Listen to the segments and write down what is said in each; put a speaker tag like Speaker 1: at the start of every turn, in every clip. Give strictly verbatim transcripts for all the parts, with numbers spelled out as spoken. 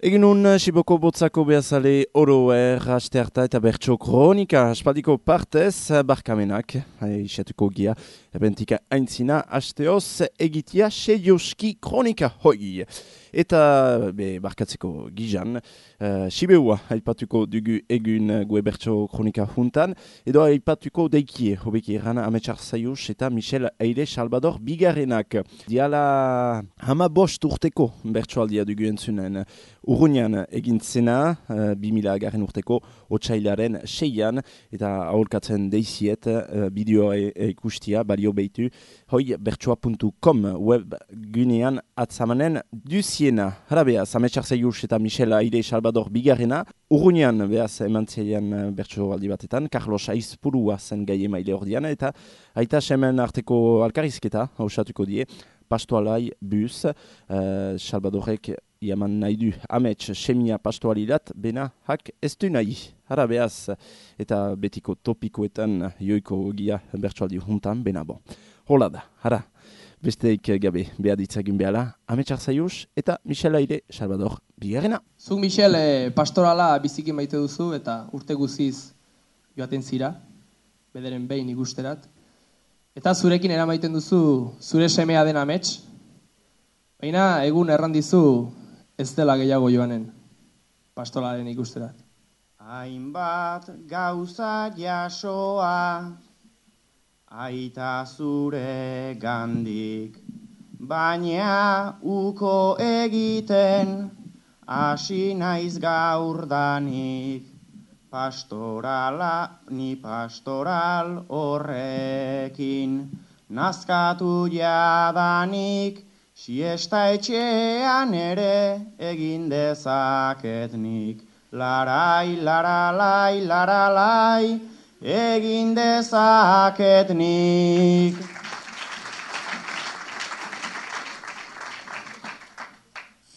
Speaker 1: Egin un Siboko Botzako behazale oroer, haste harta eta bertso kronika, aspaldiko partez, barkamenak, isatuko gia, ebentika aintzina, hasteoz, egitia seioski kronika, hoi. Eta, be, barkatzeko gizan, uh, Sibeua aipatuko dugu egun gue bertso kronika juntan, edo aipatuko deikie, hobeki eran Ametsar Zaius eta Michel Eire Salvador bigarrenak. Diala hama bost urteko bertsoaldia dugu entzunen. Urruñan egin zena, uh, bi mila garren urteko, otsailaren seian, eta aholkatzen deiziet, uh, bideoa e ikustia, balio behitu, hoi bertsoa puntu com web gunean atzamanen duziena. Hala behaz, Ametsar Zaius eta Michel Eire Salvador bigarrena, urruñan behaz emantzeian bertsoaldi batetan, Carlos Aizpurua zen gai emaile ordiana, eta aita semen arteko alkarizketa, hausatuko die, pastoalai buz, uh, Salvadorek iaman nahi du amets semia pastoalilat, bena hak ez du nahi. Hara behaz, eta betiko topikoetan joiko gia bertsoaldi juntan, bena bon. Hola da, hara, besteik gabe behaditzagin behala, Ametsar Zaius eta Michel Eire Salvador bigarrena.
Speaker 2: Zuk, Michel, eh, pastorala biziki maite duzu eta urte guziz joaten zira, bederen behin ikusterat. Eta zurekin eramaiten duzu zure semea den amets, baina egun errandizu ez dela gehiago joanen pastoralaren ikusterat.
Speaker 3: Hainbat gauza jasoa, aita zure gandik, baina uko egiten hasi naiz gaurdanik. Pastorala, ni pastoral horrekin, nazkatu jadanik, siesta etxean ere egin dezaketnik. Larai, laralai, laralai, egin dezaketnik.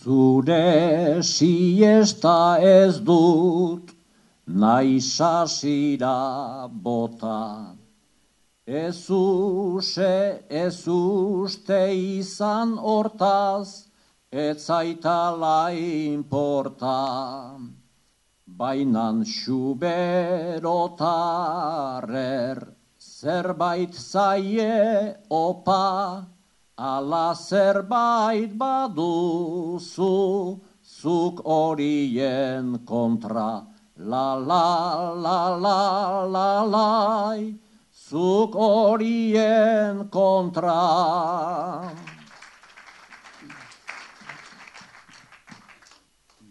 Speaker 4: Zure siesta ez dut, nahi sasira bota. Ez use, ez uste izan hortaz, ez zaitala inporta. Bainan xuberotarer, zerbait zaie opa, ala zerbait baduzu, zuk horien kontra. La la la la la lai, zuk horien kontra.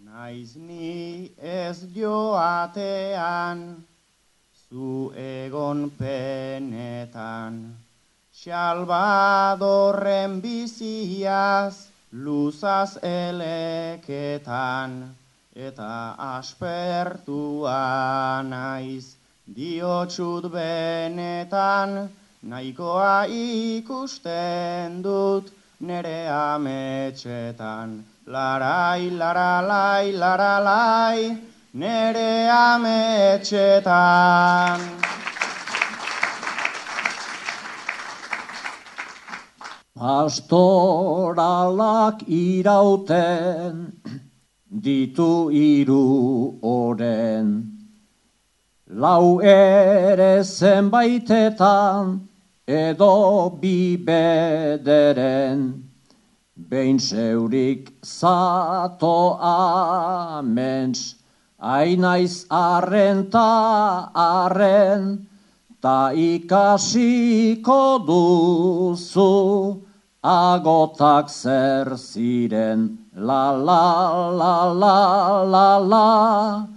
Speaker 3: Naiz ni ez joatean, zu egon penetan, Salvadorren biziaz, luzaz eleketan, eta aspertua naiz, diotsut benetan, nahikoa ikusten dut nere ametsetan. Larai, laralai, laralai, nere ametsetan.
Speaker 4: Pastoralak irauten, ditu hiru oren, lau ere zenbaitetan, edo bi bederen, behin zeurik zato aments, ainaiz arren ta arren, ta ikasiko duzu, agotak zer ziren. La la la la la la,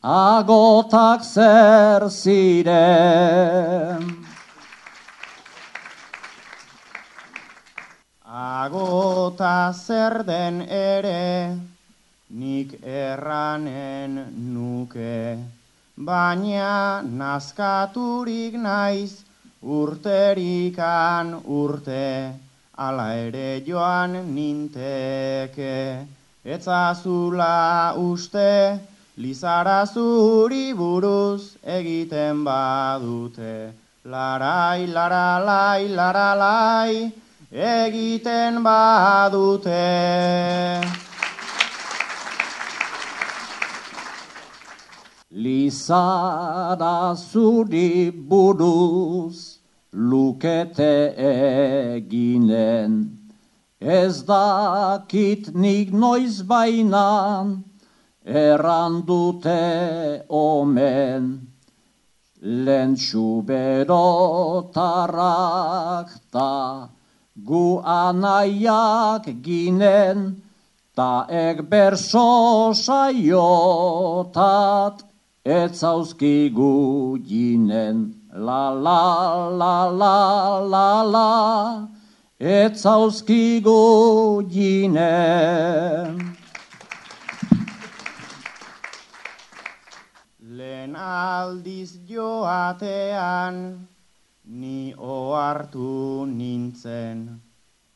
Speaker 4: agotak zer ziren.
Speaker 3: Agota zer den ere, nik erranen nuke, baina nazkaturik naiz urterikan urte, ala ere joan ninteke. Etzazula uste, Lizara zuri buruz egiten badute, larai, laralai, laralai, egiten badute.
Speaker 4: Lizara zuri buruz lukete eginen, ez dakit nik noiz bainan, erran dute omen, lentsu berotarrak ta gu anaiak ginen, ta ek berso saiotat etzauzkigu ginen. La la la la la la, etzauzkigu ginen.
Speaker 3: Lehen aldiz joatean, ni ohartu nintzen.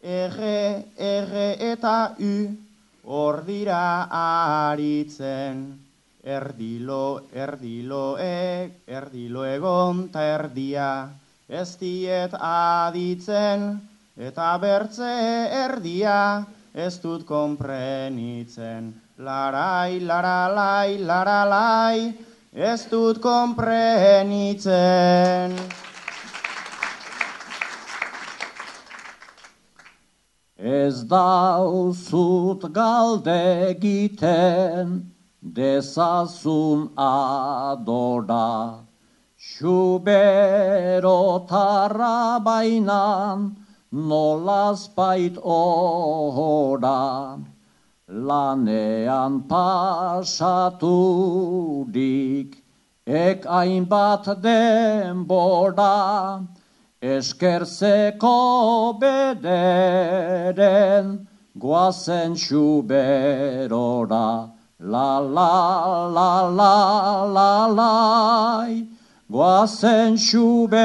Speaker 3: Ege, ege eta u, hor dira aritzen. Erdilo, erdiloek, erdilo egon ta erdia, ez diet aditzen, eta bertze erdia, ez dut konprenitzen. Larai, laralai, laralai, ez dut konprenitzen.
Speaker 4: Ez dauzut galde egiten, dezazun adora, xuberotarra bainan, nolazpait ohora, lanean pasaturik, ek hainbat denbora, eskerzeko bederen, goazen xuberora. La la la la la la, goazen xuberora.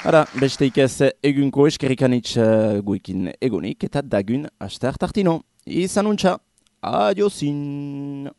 Speaker 1: Ara, besteik ez egunko eskerrikanitz uh, guekin egonik eta dagun aste hartartino. Izan untxa, adiozin!